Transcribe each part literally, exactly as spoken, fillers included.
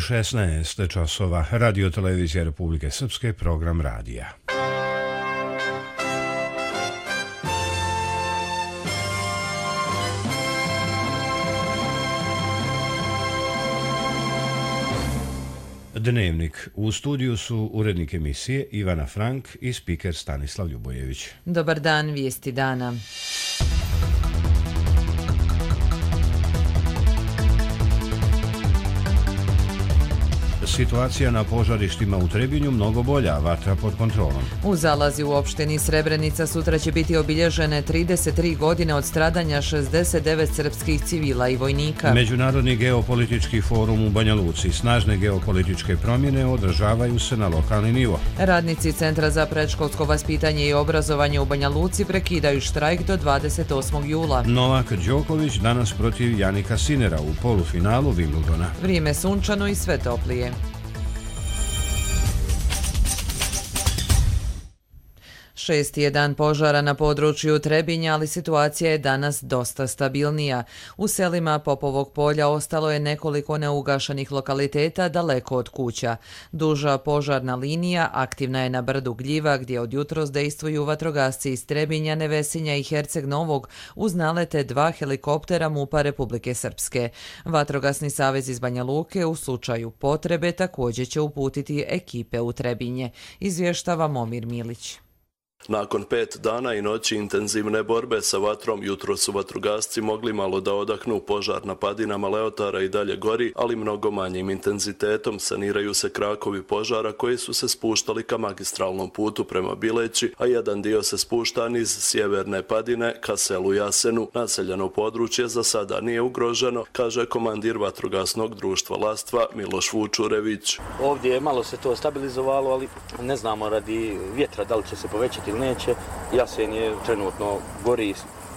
šesnaest časova, Radio Televizija Republike Srpske, program radija. Dnevnik. U studiju su urednik emisije Ivana Frank i spiker Stanislav Ljubojević. Dobar dan, vijesti dana. Situacija na požarištima u Trebinju mnogo bolja, vatra pod kontrolom. U Zalazi u opštini Srebrenica sutra će biti obilježene trideset tri godine od stradanja šezdeset devet srpskih civila i vojnika. Međunarodni geopolitički forum u Banja Luci. Snažne geopolitičke promjene održavaju se na lokalni nivo. Radnici Centra za predškolsko vaspitanje i obrazovanje u Banja Luci prekidaju štrajk do dvadeset osmog jula. Novak Đoković danas protiv Janika Sinera u polufinalu Wimbledona. Vrijeme sunčano i sve toplije. Šesti je dan požara na području Trebinja, ali situacija je danas dosta stabilnija. U selima Popovog polja ostalo je nekoliko neugašenih lokaliteta daleko od kuća. Duža požarna linija aktivna je na brdu Gljiva, gdje od jutros dejstvuju vatrogasci iz Trebinja, Nevesinja i Herceg Novog uz nalete dva helikoptera MUP-a Republike Srpske. Vatrogasni savez iz Banja Luke u slučaju potrebe također će uputiti ekipe u Trebinje, izvještava Momir Milić. Nakon pet dana i noći intenzivne borbe sa vatrom, jutro su vatrogasci mogli malo da odahnu. Požar na padinama Leotara i dalje gori, ali mnogo manjim intenzitetom. Saniraju se krakovi požara koji su se spuštali ka magistralnom putu prema Bileći, a jedan dio se spušta niz sjeverne padine ka selu Jasenu. Naseljeno područje za sada nije ugroženo, kaže komandir vatrogasnog društva Lastva Miloš Vučurević. Ovdje malo se to stabilizovalo, ali ne znamo radi vjetra da li će se povećati neće. Jasen je trenutno gori,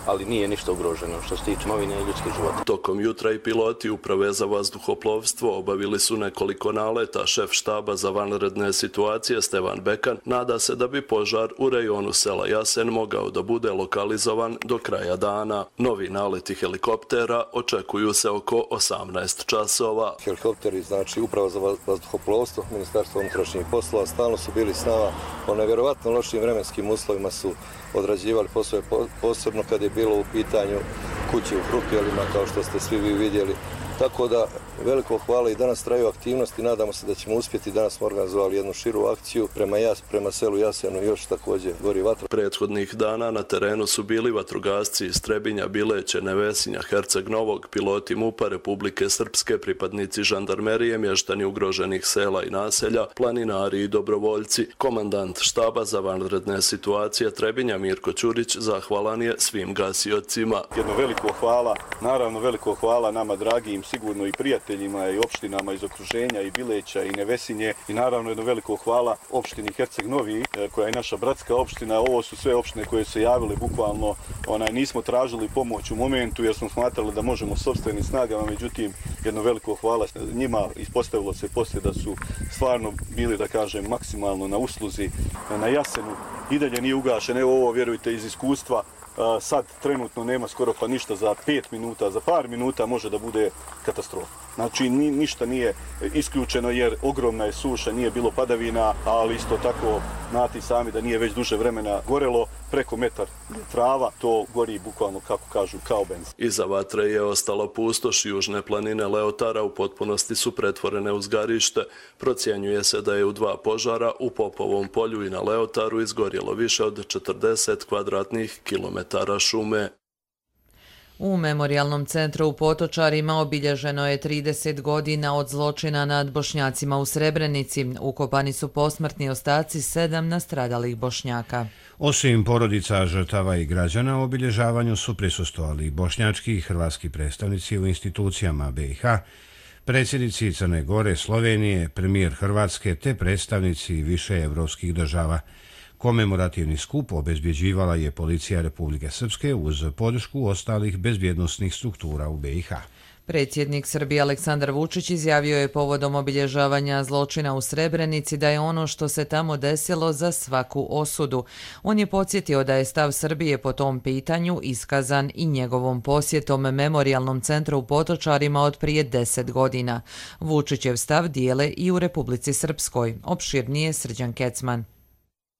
ali nije ništa ugroženo što se tiče imovine i ljudskih života. Tokom jutra i piloti Uprave za vazduhoplovstvo obavili su nekoliko naleta. Šef štaba za vanredne situacije Stevan Bekan nada se da bi požar u rejonu sela Jasen mogao da bude lokalizovan do kraja dana. Novi naleti helikoptera očekuju se oko osamnaest časova. Helikopteri, znači Uprava za vazduhoplovstvo, Ministarstvo unutrašnjih poslova, stalno su bili s nama. Po nevjerovatno lošim vremenskim uslovima su odrađivali poslove, posebno kad je bilo u pitanju kuće u Krupjelima, kao što ste svi vi vidjeli. Tako da veliko hvala i danas traju aktivnosti, nadamo se da ćemo uspjeti. Danas smo organizovali jednu širu akciju prema, jas, prema selu Jasenu, još također gori vatra. Prethodnih dana na terenu su bili vatrogasci iz Trebinja, Bileće, Nevesinja, Herceg Novog, piloti MUP-a Republike Srpske, pripadnici žandarmerije, mještani ugroženih sela i naselja, planinari i dobrovoljci. Komandant štaba za vanredne situacije Trebinja Mirko Ćurić zahvalan je svim gasiocima. Jedno veliko hvala, naravno veliko hvala nama dragim, sigurno i prijateljima i opštinama iz okruženja i Bileća i Nevesinje i naravno jedno veliko hvala opštini Herceg Novi koja je naša bratska opština. Ovo su sve opštine koje su se javile bukvalno, onaj, nismo tražili pomoć u momentu jer smo smatrali da možemo sopstvenim snagama, međutim jedno veliko hvala njima. Ispostavilo se poslije da su stvarno bili, da kažem, maksimalno na usluzi na Jasenu. I dalje nije ugašen, evo ovo vjerujte iz iskustva. Sad trenutno nema skoro pa ništa, za pet minuta, za par minuta može da bude katastrofa. Znači ni, ništa nije isključeno jer ogromna je suša, nije bilo padavina, ali isto tako znate sami da nije već duže vremena gorelo, preko metar trava, to gori bukvalno, kako kažu, kao benzin. Iza vatre je ostala pustoš, južne planine Leotara u potpunosti su pretvorene u zgarište. Procjenjuje se da je u dva požara u Popovom polju i na Leotaru izgorjelo više od četrdeset kvadratnih kilometara šume. U Memorijalnom centru u Potočarima obilježeno je trideset godina od zločina nad Bošnjacima u Srebrenici. Ukopani su posmrtni ostaci sedam nastradalih Bošnjaka. Osim porodica žrtava i građana, obilježavanju su prisustvovali bošnjački i hrvatski predstavnici u institucijama B i H, predsjednici Crne Gore, Slovenije, premijer Hrvatske te predstavnici više evropskih država. Komemorativni skup obezbjeđivala je policija Republike Srpske uz podršku ostalih bezbjednosnih struktura u B i H. Predsjednik Srbije Aleksandar Vučić izjavio je povodom obilježavanja zločina u Srebrenici da je ono što se tamo desilo za svaku osudu. On je podsjetio da je stav Srbije po tom pitanju iskazan i njegovom posjetom Memorijalnom centru u Potočarima od prije deset godina. Vučićev stav dijele i u Republici Srpskoj. Opširnije Srđan Kecman.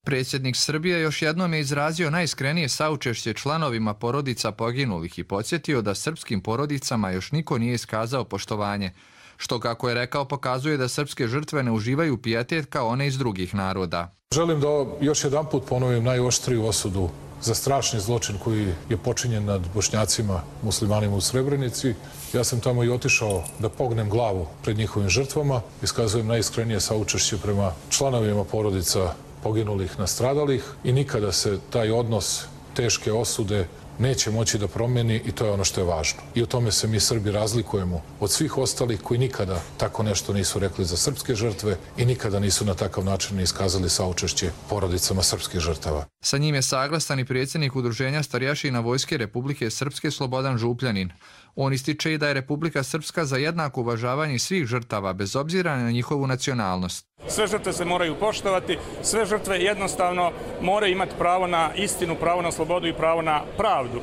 Predsjednik Srbije još jednom je izrazio najiskrenije saučešće članovima porodica poginulih i podsjetio da srpskim porodicama još niko nije iskazao poštovanje, što, kako je rekao, pokazuje da srpske žrtve ne uživaju pijetet kao one iz drugih naroda. Želim da još jedan put ponovim najoštriju osudu za strašni zločin koji je počinjen nad Bošnjacima, muslimanima u Srebrenici. Ja sam tamo i otišao da pognem glavu pred njihovim žrtvama. Iskazujem najiskrenije saučešće prema članovima porodica poginulih, nastradalih i nikada se taj odnos teške osude neće moći da promeni i to je ono što je važno. I u tome se mi Srbi razlikujemo od svih ostalih koji nikada tako nešto nisu rekli za srpske žrtve i nikada nisu na takav način iskazali saučešće porodicama srpskih žrtava. Sa njim je saglasan i predsjednik Udruženja starješina Vojske Republike Srpske Slobodan Župljanin. On ističe i da je Republika Srpska za jednako uvažavanje svih žrtava, bez obzira na njihovu nacionalnost. Sve žrtve se moraju poštovati, sve žrtve jednostavno moraju imati pravo na istinu, pravo na slobodu i pravo na pravdu.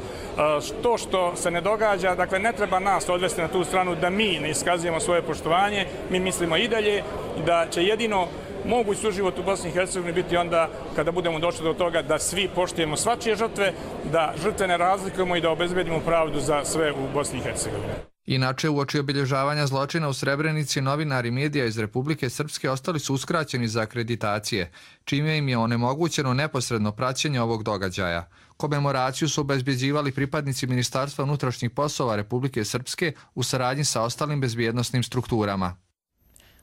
To što se ne događa, dakle ne treba nas odvesti na tu stranu da mi ne iskazujemo svoje poštovanje, mi mislimo i dalje da će jedino moguć suživot u Bosni i Hercegovini biti onda kada budemo došli do toga da svi poštujemo svačije žrtve, da žrtve ne razlikujemo i da obezbedimo pravdu za sve u Bosni i Hercegovini. Inače, uoči obilježavanja zločina u Srebrenici, novinari medija iz Republike Srpske ostali su uskraćeni za akreditacije, čime im je onemogućeno neposredno praćenje ovog događaja. Komemoraciju su obezbeđivali pripadnici Ministarstva unutrašnjih poslova Republike Srpske u saradnji sa ostalim bezbjednosnim strukturama.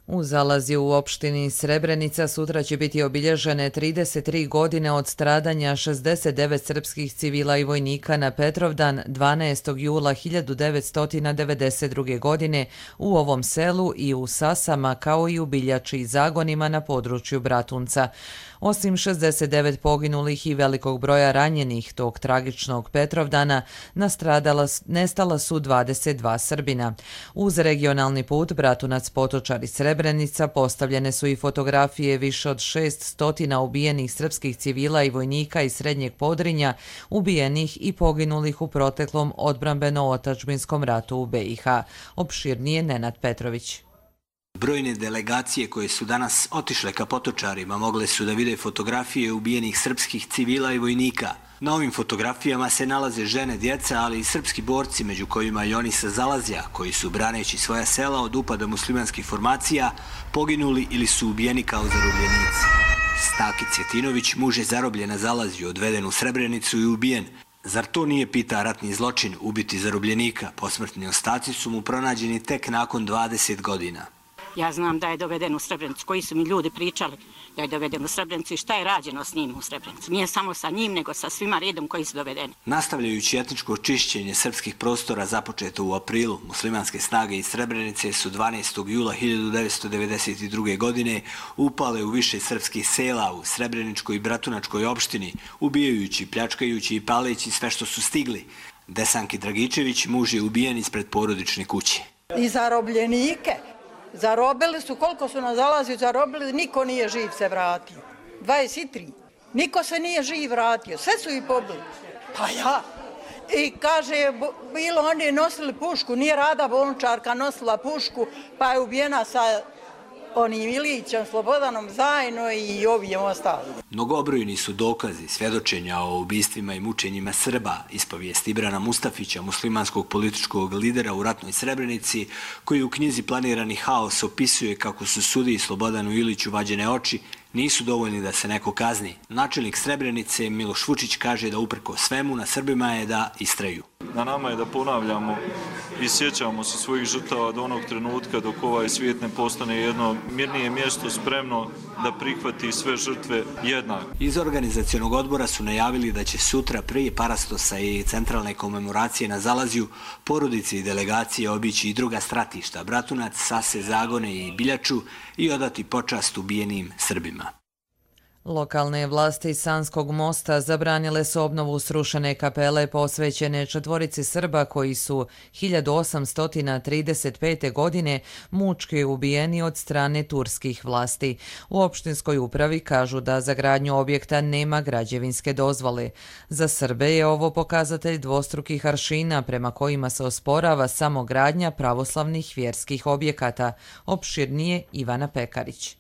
U Zalazju u opštini Srebrenica sutra će biti obilježene trideset tri godine od stradanja šezdeset devet srpskih civila i vojnika na Petrovdan dvanaestog jula hiljadu devetsto devedeset druge. godine u ovom selu i u Sasama, kao i u Biljači i Zagonima na području Bratunca. Osim šezdeset devet poginulih i velikog broja ranjenih tog tragičnog Petrovdana, nastradala, nestala su dvadeset dva Srbina. Uz regionalni put Bratunac-Potočari Srebrenica postavljene su i fotografije više od šest stotina ubijenih srpskih civila i vojnika iz Srednjeg Podrinja, ubijenih i poginulih u proteklom odbrambeno-otadžbinskom ratu u be i ha. Opširnije Nenad Petrović. Brojne delegacije koje su danas otišle ka Potočarima mogle su da vide fotografije ubijenih srpskih civila i vojnika. Na ovim fotografijama se nalaze žene, djeca, ali i srpski borci, među kojima i oni sa Zalazja, koji su, braneći svoja sela od upada muslimanskih formacija, poginuli ili su ubijeni kao zarobljenici. Staki Cvjetinović, muž je zarobljen na Zalazju, odveden u Srebrenicu i ubijen. Zar to nije, pita, ratni zločin ubiti zarobljenika? Posmrtni ostaci su mu pronađeni tek nakon dvadeset godina. Ja znam da je doveden u Srebrenicu, koji su mi ljudi pričali da je doveden u Srebrenicu i šta je rađeno s njim u Srebrenicu. Nije samo sa njim, nego sa svima redom koji su dovedeni. Nastavljajući etničko čišćenje srpskih prostora započeto u aprilu, muslimanske snage iz Srebrenice su dvanaestog jula hiljadu devetsto devedeset druge. godine upale u više srpskih sela u Srebreničkoj i Bratunačkoj opštini, ubijajući, pljačkajući i paleći sve što su stigli. Desanki Dragičević, muž je ubijen ispred porodične kuće. I zarobljenike. Zarobili su, koliko su nas Zalazju zarobili, niko nije živ se vratio. dvadeset tri. Niko se nije živ vratio, sve su ih pobili. Pa ja. I kaže, bilo oni nosili pušku, nije Rada Bolničarka nosila pušku, pa je ubijena sa onim Ilićem, Slobodanom zajedno i ovim ostalim. Mnogobrojni su dokazi svjedočenja o ubistvima i mučenjima Srba, ispovijest Ibrana Mustafića, muslimanskog političkog lidera u ratnoj Srebrenici, koji u knjizi Planirani haos opisuje kako su sudiji Slobodanu Iliću vađene oči, nisu dovoljni da se neko kazni. Načelnik Srebrenice Miloš Vučić kaže da uprko svemu na Srbima je da istraju. Na nama je da ponavljamo i sjećamo se svojih žrtava do onog trenutka dok ovaj svijet ne postane jedno mirnije mjesto spremno da prihvati sve žrtve jednako. Iz organizacionog odbora su najavili da će sutra prije parastosa i centralne komemoracije na Zalazju porodice i delegacije obići i druga stratišta, Bratunac, Sase, Zagone i Biljaču i odati počast ubijenim Srbima. Lokalne vlasti Sanskog mosta zabranile su obnovu srušene kapele posvećene četvorici Srba koji su hiljadu osamsto trideset pete. godine mučki ubijeni od strane turskih vlasti. U opštinskoj upravi kažu da za gradnju objekta nema građevinske dozvole. Za Srbe je ovo pokazatelj dvostrukih aršina prema kojima se osporava samo gradnja pravoslavnih vjerskih objekata. Opširnije Ivana Pekarić.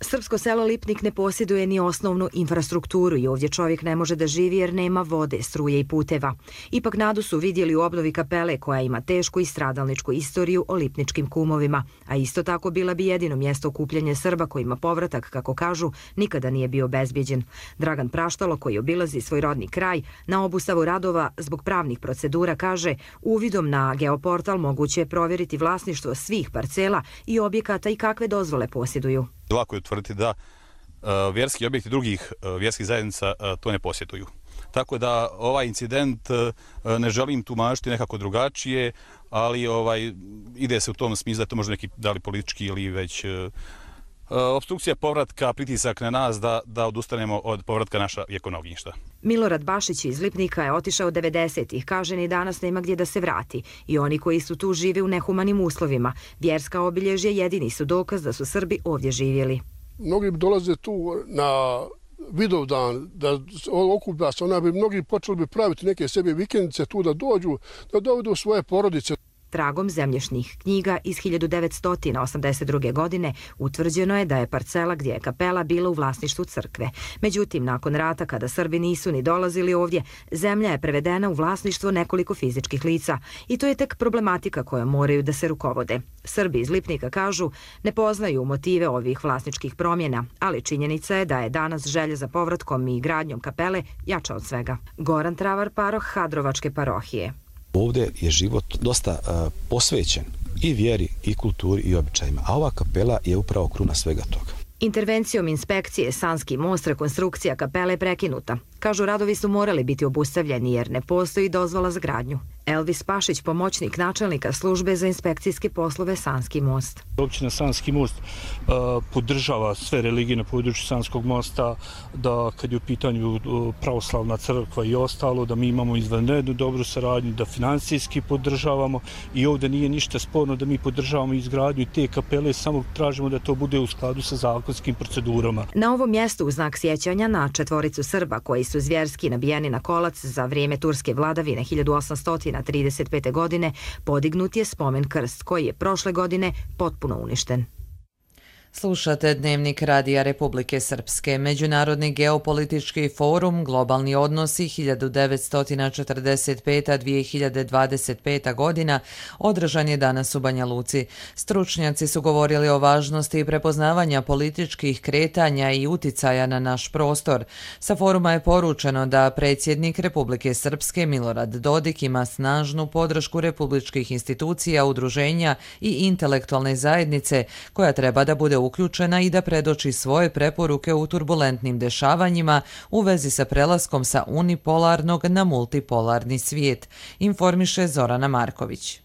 Srpsko selo Lipnik ne posjeduje ni osnovnu infrastrukturu i ovdje čovjek ne može da živi jer nema vode, struje i puteva. Ipak nadu su vidjeli u obnovi kapele koja ima tešku i stradalničku istoriju o lipničkim kumovima, a isto tako bila bi jedino mjesto okupljanja Srba kojima povratak, kako kažu, nikada nije bio bezbjeđen. Dragan Praštalo, koji obilazi svoj rodni kraj, na obustavu radova zbog pravnih procedura kaže: uvidom na geoportal moguće je provjeriti vlasništvo svih parcela i objekata i kakve dozvole posjeduju. Lako je utvrditi da uh, vjerski objekti drugih uh, vjerskih zajednica uh, to ne posjeduju. Tako da ovaj incident uh, ne želim tumačiti nekako drugačije, ali ovaj ide se u tom smislu da je to možda neki da li politički ili već uh, uh, opstrukcija povratka, pritisak na nas da, da odustanemo od povratka naša vjekovna ognjišta. Milorad Bašić iz Lipnika je otišao devedesetih, kaže ni danas nema gdje da se vrati i oni koji su tu žive u nehumanim uslovima. Vjerska obilježja jedini su dokaz da su Srbi ovdje živjeli. Mnogi dolaze tu na Vidovdan, da okuplja se, ona bi mnogi počeli bi praviti neke sebi vikendice tu da dođu, da dovedu svoje porodice. Tragom zemljišnih knjiga iz hiljadu devetsto osamdeset druge. godine utvrđeno je da je parcela gdje je kapela bila u vlasništvu crkve. Međutim, nakon rata, kada Srbi nisu ni dolazili ovdje, zemlja je prevedena u vlasništvo nekoliko fizičkih lica i to je tek problematika koja moraju da se rukovode. Srbi iz Lipnika kažu ne poznaju motive ovih vlasničkih promjena, ali činjenica je da je danas želja za povratkom i gradnjom kapele jača od svega. Goran Travar, paroh Hadrovačke parohije. Ovdje je život dosta uh, posvećen i vjeri, i kulturi, i običajima, a ova kapela je upravo kruna svega toga. Intervencijom inspekcije Sanski most rekonstrukcija kapele je prekinuta. Kažu, radovi su morali biti obustavljeni jer ne postoji dozvola za gradnju. Elvis Pašić, pomoćnik načelnika službe za inspekcijske poslove Sanski most. Općina Sanski most uh, podržava sve religije na području Sanskog mosta, da kad je u pitanju uh, pravoslavna crkva i ostalo, da mi imamo izvanrednu dobru saradnju, da financijski podržavamo i ovdje nije ništa sporno da mi podržavamo izgradnju te kapele, samo tražimo da to bude u skladu sa zakonskim procedurama. Na ovom mjestu u znak sjećanja na četvoricu Srba koji su zvjerski nabijeni na kolac za vrijeme turske vladavine hiljadu osamsto trideset pete. godine podignut je spomen krst koji je prošle godine potpuno uništen. Slušate Dnevnik Radija Republike Srpske. Međunarodni geopolitički forum Globalni odnosi hiljadu devetsto četrdeset pete do dvije hiljade dvadeset pete. godina održan je danas u Banja Luci. Stručnjaci su govorili o važnosti prepoznavanja političkih kretanja i uticaja na naš prostor. Sa foruma je poručeno da predsjednik Republike Srpske Milorad Dodik ima snažnu podršku republičkih institucija, udruženja i intelektualne zajednice koja treba da bude uključena i da predoči svoje preporuke u turbulentnim dešavanjima u vezi sa prelaskom sa unipolarnog na multipolarni svijet, informiše Zorana Marković.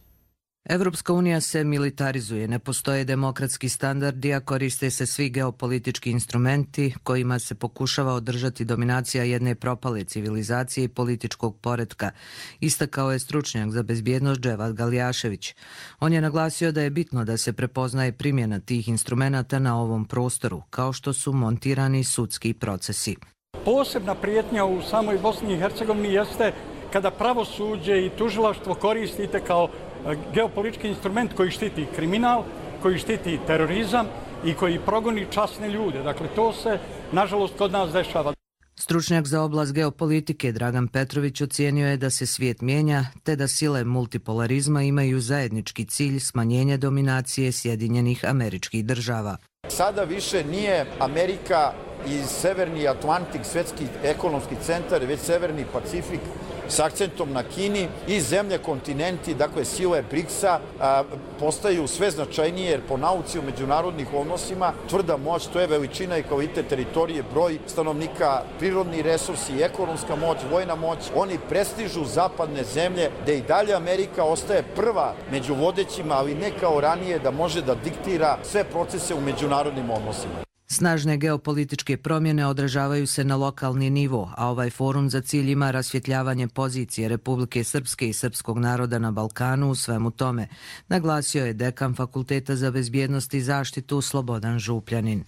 Evropska unija se militarizuje, ne postoje demokratski standardi, a koriste se svi geopolitički instrumenti kojima se pokušava održati dominacija jedne propale civilizacije i političkog poretka, istakao je stručnjak za bezbjednost Dževad Galjašević. On je naglasio da je bitno da se prepoznaje primjena tih instrumenata na ovom prostoru, kao što su montirani sudski procesi. Posebna prijetnja u samoj Bosni i Hercegovini jeste kada pravosuđe i tužilaštvo koristite kao geopolitički instrument koji štiti kriminal, koji štiti terorizam i koji progoni časne ljude. Dakle, to se, nažalost, kod nas dešava. Stručnjak za oblast geopolitike Dragan Petrović ocijenio je da se svijet mijenja, te da sile multipolarizma imaju zajednički cilj smanjenja dominacije Sjedinjenih Američkih Država. Sada više nije Amerika i Severni Atlantik, svjetski ekonomski centar, već Severni Pacifik, s akcentom na Kini i zemlje kontinenti, dakle sile briksa, a, postaju sve značajnije jer po nauci u međunarodnih odnosima tvrda moć, to je veličina i kvalitet teritorije, broj stanovnika, prirodni resursi, ekonomska moć, vojna moć. Oni prestižu zapadne zemlje, da i dalje Amerika ostaje prva među vodećima, ali ne kao ranije da može da diktira sve procese u međunarodnim odnosima. Snažne geopolitičke promjene odražavaju se na lokalni nivo, a ovaj forum za cilj ima rasvjetljavanje pozicije Republike Srpske i srpskog naroda na Balkanu u svemu tome, naglasio je dekan Fakulteta za bezbjednost i zaštitu Slobodan Župljanin.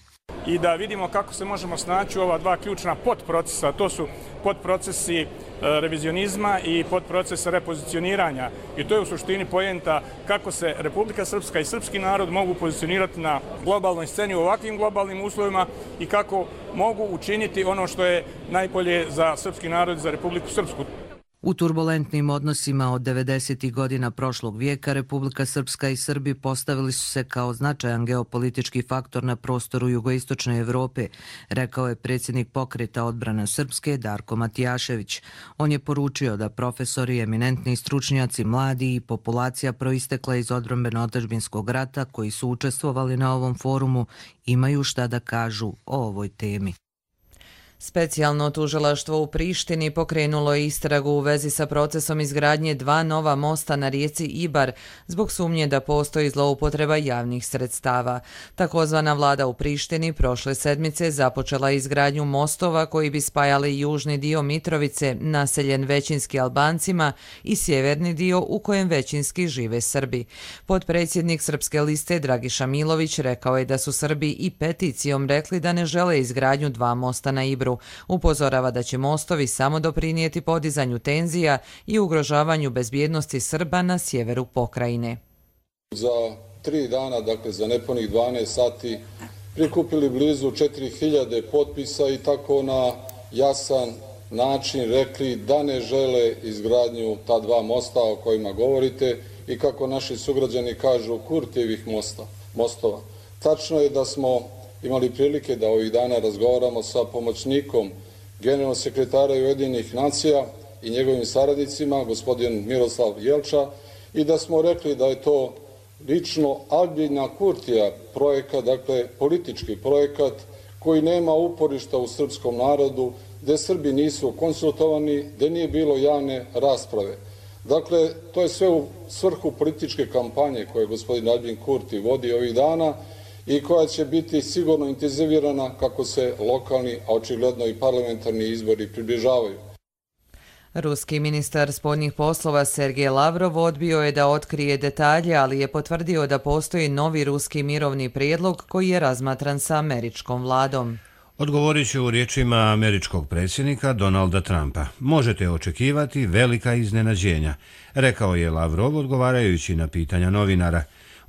I da vidimo kako se možemo snaći u ova dva ključna podprocesa, to su podprocesi revizionizma i podproces repozicioniranja. I to je u suštini poenta kako se Republika Srpska i srpski narod mogu pozicionirati na globalnoj sceni u ovakvim globalnim uslovima i kako mogu učiniti ono što je najbolje za srpski narod i za Republiku Srpsku. U turbulentnim odnosima od devedesetih godina prošlog vijeka Republika Srpska i Srbi postavili su se kao značajan geopolitički faktor na prostoru jugoistočne Evrope, rekao je predsjednik Pokreta odbrana Srpske Darko Matijašević. On je poručio da profesori, eminentni stručnjaci, mladi i populacija proistekla iz odbrambeno-otadžbinskog rata koji su učestvovali na ovom forumu imaju šta da kažu o ovoj temi. Specijalno tužilaštvo u Prištini pokrenulo je istragu u vezi sa procesom izgradnje dva nova mosta na rijeci Ibar zbog sumnje da postoji zloupotreba javnih sredstava. Takozvana vlada u Prištini prošle sedmice započela izgradnju mostova koji bi spajali južni dio Mitrovice, naseljen većinski Albancima, i sjeverni dio u kojem većinski žive Srbi. Potpredsjednik Srpske liste Dragiša Milović rekao je da su Srbi i peticijom rekli da ne žele izgradnju dva mosta na Ibru. Upozorava da će mostovi samo doprinijeti podizanju tenzija i ugrožavanju bezbjednosti Srba na sjeveru pokrajine. Za tri dana, dakle za nepunih dvanaest sati, prikupili blizu četiri hiljade potpisa i tako na jasan način rekli da ne žele izgradnju ta dva mosta o kojima govorite i kako naši sugrađani kažu Kurtijevih mosta, mostova. Tačno je da smo imali prilike da ovih dana razgovaramo sa pomoćnikom generalnog sekretara Ujedinjenih nacija i njegovim saradnicima, gospodin Miroslav Jelča, i da smo rekli da je to lično Albina Kurtija projekat, dakle politički projekat koji nema uporišta u srpskom narodu, gde Srbi nisu konsultovani, gde nije bilo javne rasprave. Dakle, to je sve u svrhu političke kampanje koje gospodin Albin Kurti vodi ovih dana i koja će biti sigurno intenzivirana kako se lokalni, a očigledno i parlamentarni izbori približavaju. Ruski ministar spoljnih poslova Sergej Lavrov odbio je da otkrije detalje, ali je potvrdio da postoji novi ruski mirovni prijedlog koji je razmatran sa američkom vladom. Odgovorit ću u riječima američkog predsjednika Donalda Trumpa. Možete očekivati velika iznenađenja, rekao je Lavrov odgovarajući na pitanja novinara.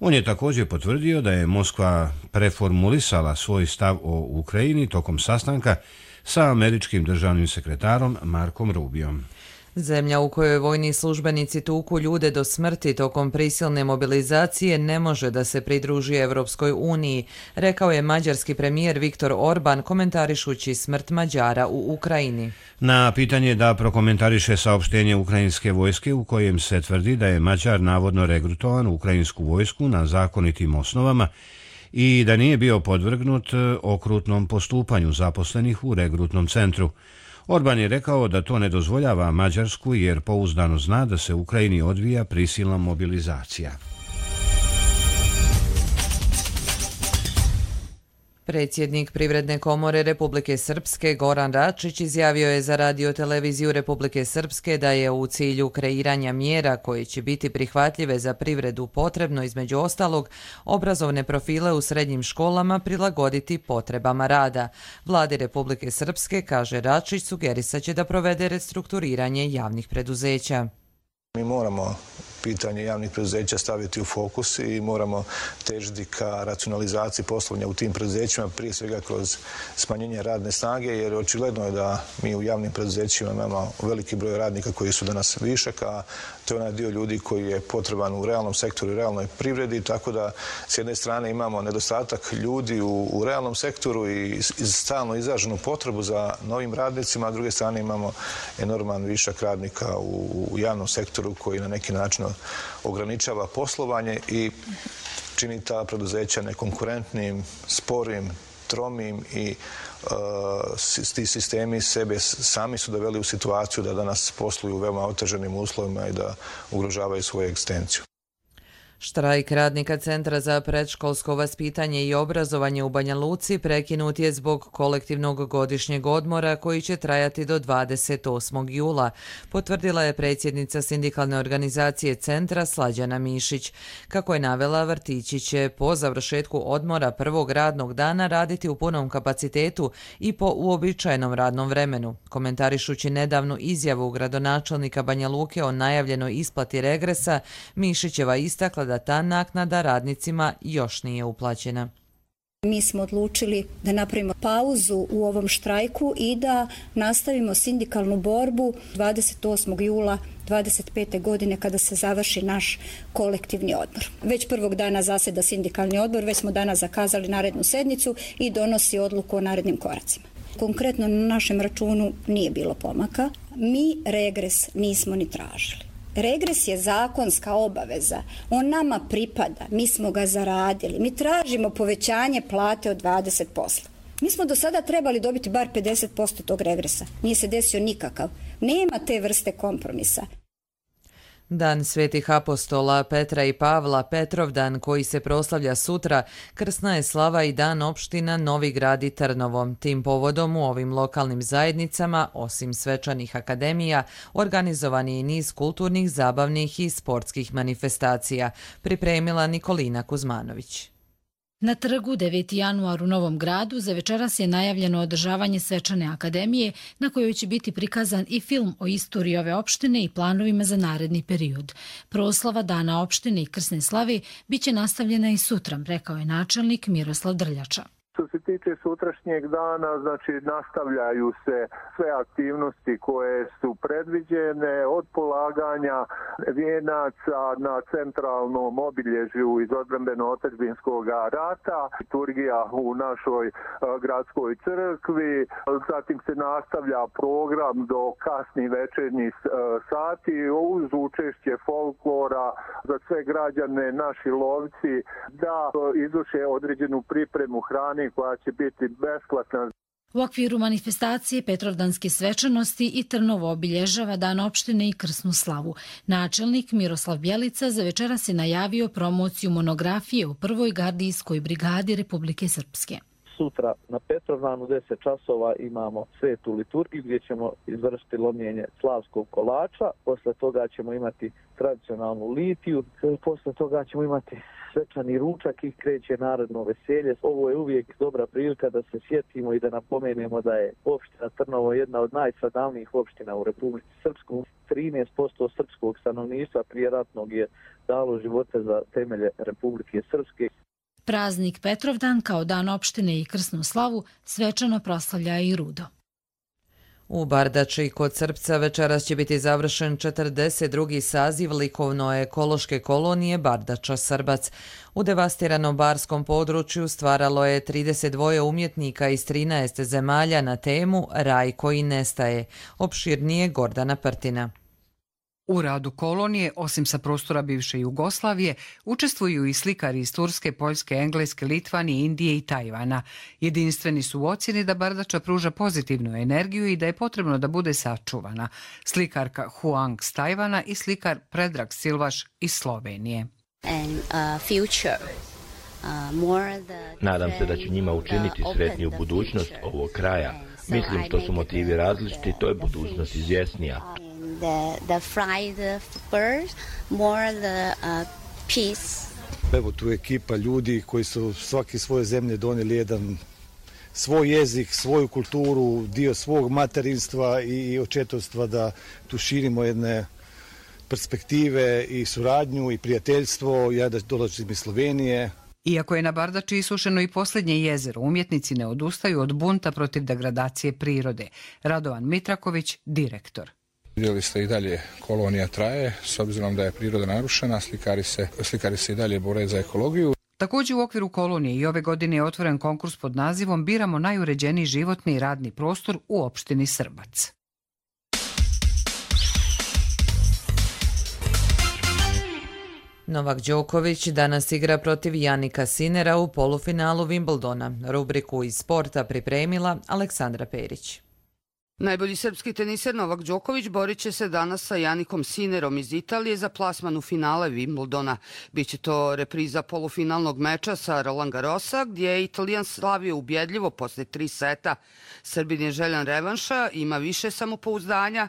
On je također potvrdio da je Moskva preformulisala svoj stav o Ukrajini tokom sastanka sa američkim državnim sekretarom Markom Rubiom. Zemlja u kojoj vojni službenici tuku ljude do smrti tokom prisilne mobilizacije ne može da se pridruži Evropskoj uniji, rekao je mađarski premijer Viktor Orban komentarišući smrt Mađara u Ukrajini. Na pitanje da prokomentariše saopštenje ukrajinske vojske u kojem se tvrdi da je Mađar navodno regrutovan u ukrajinsku vojsku na zakonitim osnovama i da nije bio podvrgnut okrutnom postupanju zaposlenih u regrutnom centru. Orban je rekao da to ne dozvoljava Mađarsku jer pouzdano zna da se u Ukrajini odvija prisilna mobilizacija. Predsjednik Privredne komore Republike Srpske Goran Račić izjavio je za radioteleviziju Republike Srpske da je u cilju kreiranja mjera koje će biti prihvatljive za privredu potrebno između ostalog obrazovne profile u srednjim školama prilagoditi potrebama rada. Vladi Republike Srpske, kaže Račić, sugerisat će da provede restrukturiranje javnih preduzeća. Mi moramo pitanje javnih preduzeća staviti u fokus i moramo težiti ka racionalizaciji poslovanja u tim preduzećima, prije svega kroz smanjenje radne snage, jer očigledno je da mi u javnim preduzećima imamo veliki broj radnika koji su danas višak, a to je onaj dio ljudi koji je potreban u realnom sektoru i realnoj privredi, tako da s jedne strane imamo nedostatak ljudi u, u realnom sektoru i stalno izraženu potrebu za novim radnicima, a s druge strane imamo enorman višak radnika u, u javnom sektoru koji na neki način ograničava poslovanje i čini ta preduzeća nekonkurentnim, sporim, tromim i uh, ti sistemi sebe sami su doveli u situaciju da danas posluju u veoma oteženim uslovima i da ugrožavaju svoju egzistenciju. Štrajk radnika Centra za predškolsko vaspitanje i obrazovanje u Banja Luci prekinut je zbog kolektivnog godišnjeg odmora koji će trajati do dvadeset osmog jula, potvrdila je predsjednica sindikalne organizacije Centra Slađana Mišić. Kako je navela, vrtići će po završetku odmora prvog radnog dana raditi u punom kapacitetu i po uobičajenom radnom vremenu. Komentarišući nedavnu izjavu gradonačelnika Banja Luke o najavljenoj isplati regresa, Mišićeva istakla da ta naknada radnicima još nije uplaćena. Mi smo odlučili da napravimo pauzu u ovom štrajku i da nastavimo sindikalnu borbu dvadeset osmog jula dvadeset pete godine kada se završi naš kolektivni odmor. Već prvog dana zaseda sindikalni odbor, već smo danas zakazali narednu sednicu i donosi odluku o narednim koracima. Konkretno na našem računu nije bilo pomaka. Mi regres nismo ni tražili. Regres je zakonska obaveza, on nama pripada, mi smo ga zaradili, mi tražimo povećanje plate od dvadeset posto. Mi smo do sada trebali dobiti bar pedeset posto tog regresa, nije se desio nikakav, nema te vrste kompromisa. Dan svetih apostola Petra i Pavla, Petrovdan, koji se proslavlja sutra, krsna je slava i dan opština Novi Grad i Trnovo. Tim povodom u ovim lokalnim zajednicama, osim svečanih akademija, organizovan je i niz kulturnih, zabavnih i sportskih manifestacija, pripremila Nikolina Kuzmanović. Na trgu deveti januar u Novom Gradu za večeras je najavljeno održavanje svečane akademije na kojoj će biti prikazan i film o istoriji ove opštine i planovima za naredni period. Proslava Dana opštine i krsne slave biće nastavljena i sutra, rekao je načelnik Miroslav Drljača. Što se tiče sutrašnjeg dana, znači nastavljaju se sve aktivnosti koje su predviđene od polaganja vijenaca na centralnom obilježju iz odbrambeno-otadžbinskog rata, liturgija u našoj gradskoj crkvi, zatim se nastavlja program do kasnih večernjih sati uz učešće folklora za sve građane, naši lovci da izvrše određenu pripremu hrane koja će biti besplatna. U okviru manifestacije Petrovdanske svečanosti i Trnovo obilježava Dan opštine i krsnu slavu. Načelnik Miroslav Bjelica za večeras je najavio promociju monografije u prvoj gardijskoj brigadi Republike Srpske. Sutra na Petrovdanu u deset časova imamo svetu liturgiju gdje ćemo izvršiti lomljenje slavskog kolača, posle toga ćemo imati tradicionalnu litiju, posle toga ćemo imati svečani ručak i kreće narodno veselje. Ovo je uvijek dobra prilika da se sjetimo i da napomenemo da je opština Trnovo jedna od najstradalnijih opština u Republici Srpskoj. trinaest posto srpskog stanovništva prije ratnog je dalo živote za temelje Republike Srpske. Praznik Petrovdan kao Dan opštine i krsnu slavu svečano proslavlja i Rudo. U Bardači kod Srpca večeras će biti završen četrdeset drugi saziv likovno-ekološke kolonije Bardača Srbac. U devastiranom barskom području stvaralo je trideset dva umjetnika iz trinaest zemalja na temu Raj koji nestaje. Opširnije Gordana Prtina. U radu kolonije, osim sa prostora bivše Jugoslavije, učestvuju i slikari iz Turske, Poljske, Engleske, Litvanije, Indije i Tajvana. Jedinstveni su u ocjeni da Bardača pruža pozitivnu energiju i da je potrebno da bude sačuvana. Slikarka Huang s Tajvana i slikar Predrag Silvaš iz Slovenije. And, uh, future. Nadam se da ću njima učiniti sretniju budućnost ovog kraja. Mislim što su motivi različiti, to je budućnost izvjesnija. The, the fried birds, more the uh, peace. Evo tu je ekipa ljudi koji su svaki svoje zemlje donijeli jedan svoj jezik, svoju kulturu, dio svog materinstva i očetovstva da tu širimo jedne perspektive i suradnju i prijateljstvo. Ja da dolazim iz Slovenije. Iako je na Bardači isušeno i posljednje jezero, umjetnici ne odustaju od bunta protiv degradacije prirode. Radovan Mitraković, direktor. Vidjeli ste i dalje kolonija traje, s obzirom da je priroda narušena, slikari se, slikari se i dalje bore za ekologiju. Također u okviru kolonije i ove godine je otvoren konkurs pod nazivom Biramo najuređeniji životni i radni prostor u opštini Srbac. Novak Đoković danas igra protiv Janika Sinera u polufinalu Wimbledona. Rubriku iz sporta pripremila Aleksandra Perić. Najbolji srpski teniser Novak Đoković borit će se danas sa Janikom Sinerom iz Italije za plasman u finale Wimbledona. Biće to repriza polufinalnog meča sa Roland Garrosa, gdje je Italijan slavio ubjedljivo posle tri seta. Srbin je željan revanša, ima više samopouzdanja,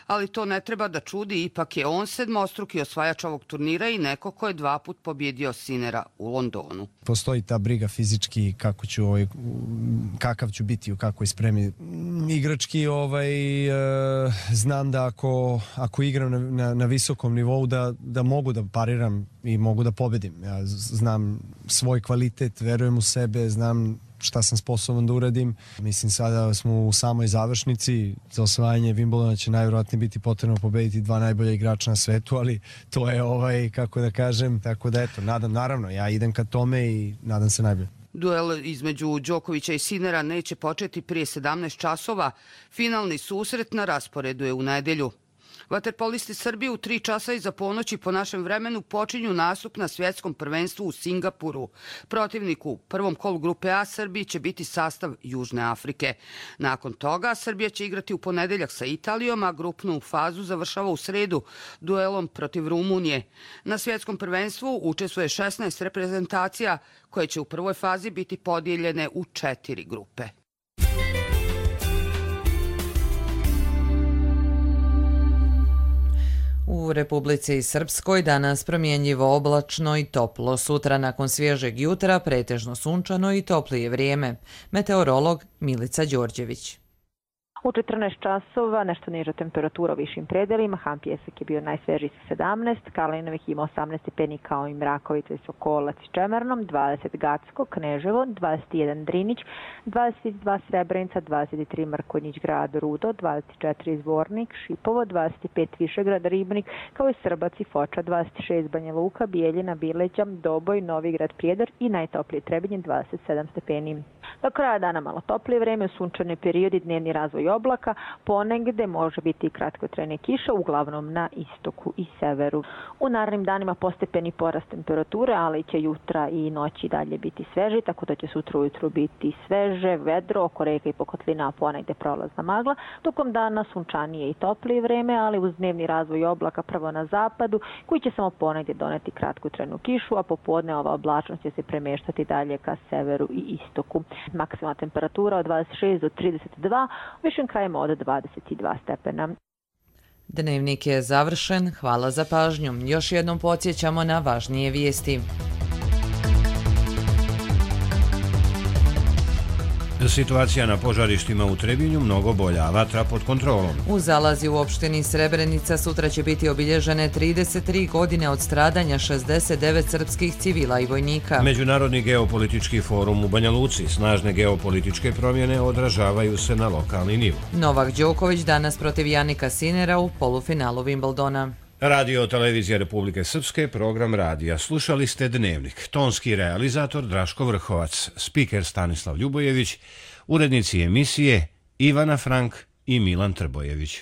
ali to ne treba da čudi, ipak je on sedmostruki osvajač ovog turnira i neko ko je dva put pobjedio Sinera u Londonu. Postoji ta briga fizički kako ću, ovaj, kakav ću biti u kakvoj spremi. Igrački ovaj, e, znam da ako, ako igram na, na, na visokom nivou da, da mogu da pariram i mogu da pobedim. Ja znam svoj kvalitet, verujem u sebe, znam šta sam sposoban da uradim. Mislim, sada smo u samoj završnici. Za osvajanje Wimbledona će najvjerojatnije biti potrebno pobediti dva najbolja igrača na svetu, ali to je, ovaj, kako da kažem, tako da eto, nadam, naravno, ja idem ka tome i nadam se najbolje. Duel između Đokovića i Sinera neće početi prije sedamnaest časova. Finalni susret na rasporedu je u nedelju. Vaterpolisti Srbije u tri časa iza ponoći po našem vremenu počinju nastup na svjetskom prvenstvu u Singapuru. Protivnik u prvom kolu grupe A Srbiji će biti sastav Južne Afrike. Nakon toga Srbija će igrati u ponedeljak sa Italijom, a grupnu fazu završava u sredu duelom protiv Rumunije. Na svjetskom prvenstvu učestvuje šesnaest reprezentacija koje će u prvoj fazi biti podijeljene u četiri grupe. U Republici Srpskoj danas promjenjivo oblačno i toplo. Sutra nakon svježeg jutra pretežno sunčano i toplije vrijeme. Meteorolog Milica Đorđević. U četrnaest časova nešto niža temperatura u višim predelima. Han Pjesak je bio najsvežiji sa sedamnaest, Karlinovih ima osamnaest stepeni kao i Mrakovica i Sokolac i Čemernom, dvadeset Gacko, Kneževo, dvadeset jedan Drinić, dvadeset dva Srebrenica, dvadeset tri Mrkonjić grad Rudo, dvadeset četiri Zvornik, Šipovo, dvadeset pet Višegrad Ribnik, kao i Srbac i Foča, dvadeset šest Banja Luka, Bijeljina, Bileđa, Doboj, Novigrad, Prijedor i najtoplije Trebinje, dvadeset sedam stepeni. Do kraja dana malo toplije vreme, sunčane periodi, dnevni razvoj oblaka, ponegde može biti i kratkotrajne kiše, uglavnom na istoku i severu. U narednim danima postepeni porast temperature, ali će jutra i noći dalje biti sveži, tako da će sutra ujutru biti sveže, vedro, oko reka i pokotlina, a ponegde prolazna magla. Tokom dana sunčanije i toplije vreme, ali uz dnevni razvoj oblaka prvo na zapadu, koji će samo ponegde doneti kratkotrajnu kišu, a popodne ova oblačnost će se premeštati dalje ka severu i istoku. Maksimalna temperatura od dvadeset šest do trideset dva, u višim krajima od dvadeset dva stepena. Dnevnik je završen. Hvala za pažnju. Još jednom podsjećamo na važnije vijesti. Situacija na požarištima u Trebinju mnogo bolja, vatra pod kontrolom. U Zalazi u opštini Srebrenica sutra će biti obilježene trideset tri godine od stradanja šezdeset devet srpskih civila i vojnika. Međunarodni geopolitički forum u Banja Luci. Snažne geopolitičke promjene odražavaju se na lokalni nivo. Novak Đoković danas protiv Janika Sinera u polufinalu Wimbledona. Radio Televizija Republike Srpske, program radija. Slušali ste Dnevnik. Tonski realizator Draško Vrhovac, spiker Stanislav Ljubojević, urednici emisije Ivana Frank i Milan Trbojević.